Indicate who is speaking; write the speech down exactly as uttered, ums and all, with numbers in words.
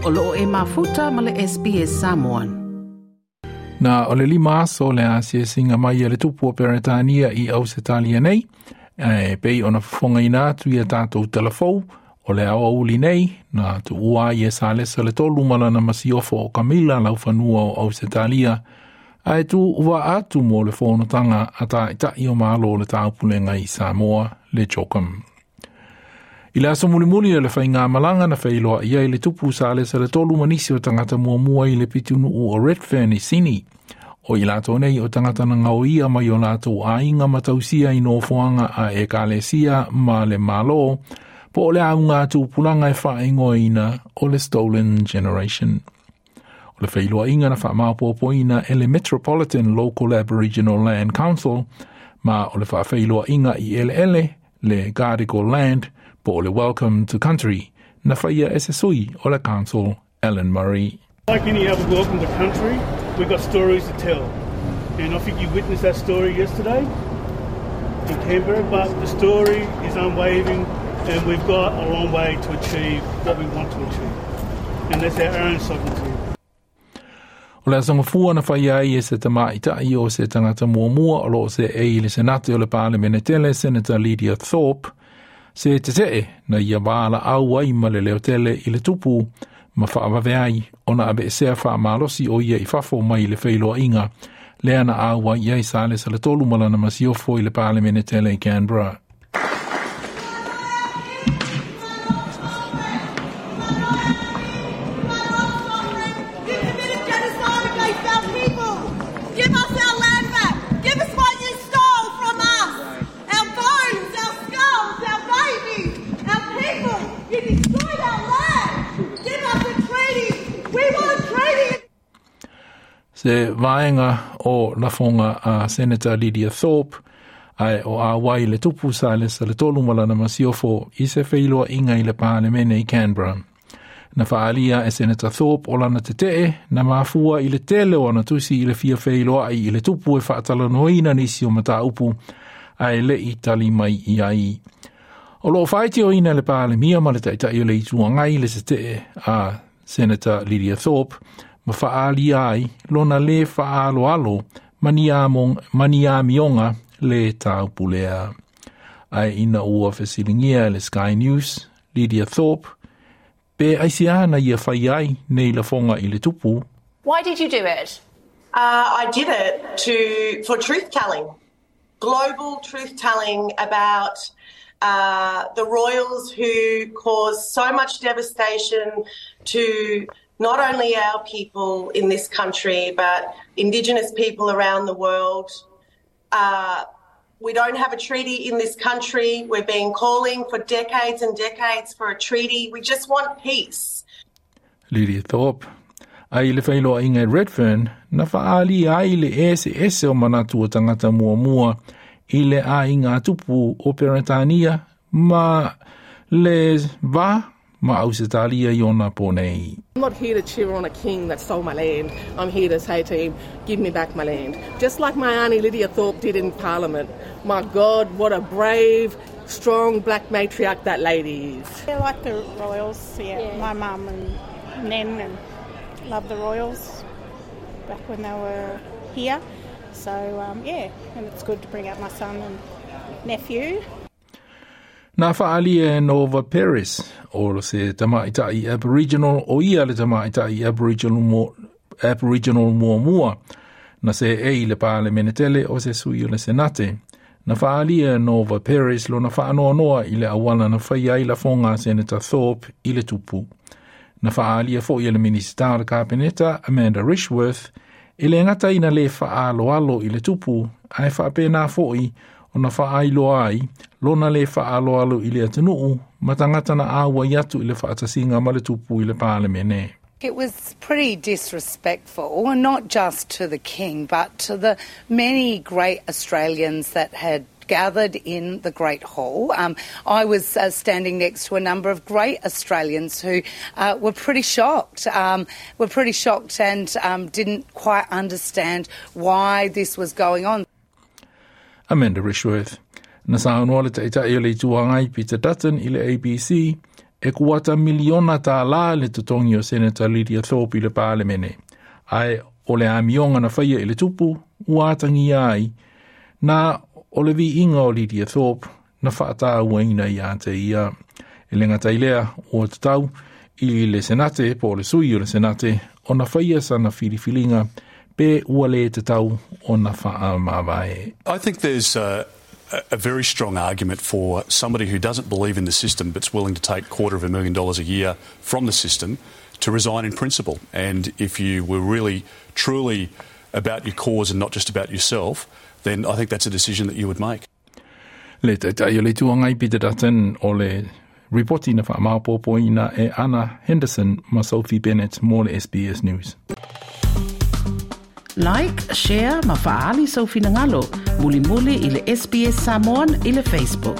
Speaker 1: O loo e mafuta ma le S B S Samoan.
Speaker 2: Na o le lima aso le asiasiga mai a le tupu o Peretania i Ausetalia nei, e pei ona fofogaina atu ia tatou talafou, o le aoauli nei, na tuua ai e Salesa le tolu ma lana masiofo o Kamila laufanua o Ausetalia, ae tuuvaa atu mo le fonotaga a Taitai o Malo o le Taupulega i Samoa, le CHOGM. I le aso mulimuli o le faigamalaga na feiloai ai le tupu Salesa le tolu ma nisi o tagata muamua i le pitonuu o Redfern i Sini. O i latou nei o tagata na gaoia mai o latou aiga ma tausia i nofoaga a ekalesia ma le Malo, po o le auga tupulaga e faaigoaina o le Stolen Generation. O le feiloaiga na faamaopoopoina e le Metropolitan Local Aboriginal Land Council ma o le faafeiloaiga i eleele le Gadigal Land po o le Welcome to Country na faia e se sui o le Council, Alan Murray.
Speaker 3: Like any other welcome to country, we've got stories to tell. And I think you witnessed that story yesterday in Canberra, but the story is unwavering and we've got a long way to achieve what we want to achieve. And that's our own sovereignty.
Speaker 2: O le aso Gafua na fai ai e se tamaitai o se tagata muamua o loo seei i le Senate o le Palemene tele, Senator Lydia Thorpe, se tetee na ia valaau ai ma le leotele i le tupu ma faavave ai ona aveesea faamalosi o ia i fafo mai le feiloaiga lea na auai ai Salesa le tolu ma lana masiofo i le Palemene tele i Canberra.
Speaker 4: You committed genocide against our people. Give us our land back. Give us what you stole from us. Our bones, our skulls, our babies, our people. You destroyed our land. Give us a treaty. We want a treaty.
Speaker 2: Se vaega o lafoga a Senator Lydia Thorpe ae o auai le tupu Salesa le tolu ma lana masiofo i se feiloaiga i le Palemene i Canberra. Na faaalia e Senator Thorpe o lana tetee na mafua i le tele o ana tusi i le fia feiloai i le tupu e faatalanoaina nisi o mataupu ae le i tali mai i ai. O loo faitioina le Palemia ma le Taitai o le Itu Agai le tetee a Senator Lydia Thorpe ma faaalia ai lona le faaaloalo ma ni amioga le taupulea. Ae ina ua fesiligia e le Sky News, Lydia Thorpe, pe aisea na ia fai ai nei lafoga i le tupu.
Speaker 5: Why did you do it?
Speaker 6: Uh, I did it to for truth telling, global truth telling about uh, the royals who caused so much devastation to not only our people in this country but Indigenous people around the world. Uh, we don't have a treaty in this country. We've been calling for decades and decades for a treaty. We just want peace.
Speaker 2: Lydia Thorpe. Ae i le feiloaiga i Redfern, na faaalia ai le eseese o manatu o tagata muamua i le aiga tupu o Peretania ma le va ma Ausetalia i ona po nei.
Speaker 7: I'm not here to cheer on a king that stole my land. I'm here to say to him, "Give me back my land." Just like my Auntie Lydia Thorpe did in Parliament. My God, what a brave, strong black matriarch that lady is.
Speaker 8: I like the royals, yeah. yeah. My mum and Nan and love the royals back when they were here. So, um, yeah, and it's good to bring up my son and nephew.
Speaker 2: Na faalia e Nova Peris, o se tamaitai Aboriginal, o ia le tamaitai Aboriginal, mo, Aboriginal muamua, na seei i le Palemene tele o se sui o le Senate. Na faalia e Nova Peris lona faanoanoa i le auala na fai ai lafoga a Senator Thorpe i le tupu. Na faalia foi e le Minisita o le Kapeneta, Amanda Rishworth, e le gata ina le faaaloalo i le tupu, ae faapena foi ona faailoa ai lona le faaaloalo i le atunuu ma tagata na auai atu i le faatasiga ma le tupu i le Palemene.
Speaker 9: It was pretty disrespectful, and not just to the king, but to the many great Australians that had gathered in the Great Hall. Um, I was uh, standing next to a number of great Australians who uh, were pretty shocked, um, were pretty shocked and um, didn't quite understand why this was going on.
Speaker 2: Amanda Rishworth. Na saunoa le Taitai o le Itu Agai Peter Dutton i le A B C E kuata miliona tālā le totogi o Senata Lydia Thorpe i le Palemene. Ae o le amioga na faia i le tupu, ua atagia ai, na o le viiga o Lydia Thorpe na faatauaina ia te ia. E le gata i lea ua tatau i le Senate po o le sui o le Senate ona faia sana filifiliga pe ua le tatau ona faamavae.
Speaker 5: I think there's uh, a very strong argument for somebody who doesn't believe in the system but's willing to take quarter of a million dollars a year from the system to resign in principle. And if you were really, truly about your cause and not just about yourself, then I think that's a decision that you would make.
Speaker 2: Le Taitai o le Itu Agai Peter Dutton o le ripoti na faamaopoopoina e Anna Henderson ma Sophie Bennett mo le S B S News.
Speaker 1: Like, share ma faaali sou finagalo. Mulimuli i le S B S Samoan i le Facebook.